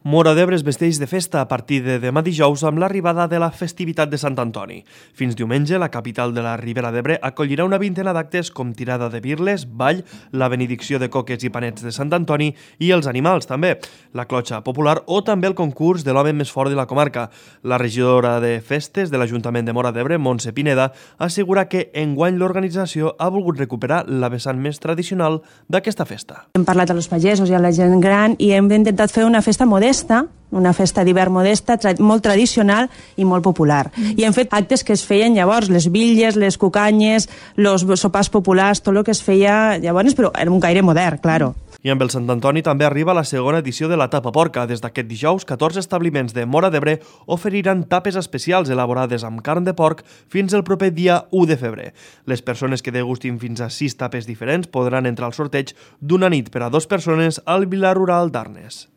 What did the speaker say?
Móra d'Ebre es vesteix de festa a partir de demà dijous amb l'arribada de la festivitat de Sant Antoni. Fins diumenge, la capital de la Ribera d'Ebre acollirà una vintena d'actes com tirada de birles, ball, la benedicció de coques i panets de Sant Antoni i els animals també, la clotxa popular o també el concurs de l'home més fort de la comarca. La regidora de festes de l'Ajuntament de Móra d'Ebre, Montse Pineda, assegura que enguany l'organització ha volgut recuperar la vessant més tradicional d'aquesta festa. Hem parlat a los pagesos i a la gent gran i hem intentat fer una festa modesta, una festa d'hivern modesta, molt tradicional i molt popular. I hem fet actes que es feien llavors, les bitlles, les cucanyes, els sopars populars, tot el que es feia llavors, però era un gaire modern, claro. I amb el Sant Antoni també arriba la segona edició de la Tapa Porca. Des d'aquest dijous, 14 establiments de Móra d'Ebre oferiran tapes especials elaborades amb carn de porc fins el proper dia 1 de febrer. Les persones que degustin fins a 6 tapes diferents podran entrar al sorteig d'una nit per a 2 persones al Vila Rural d'Arnes.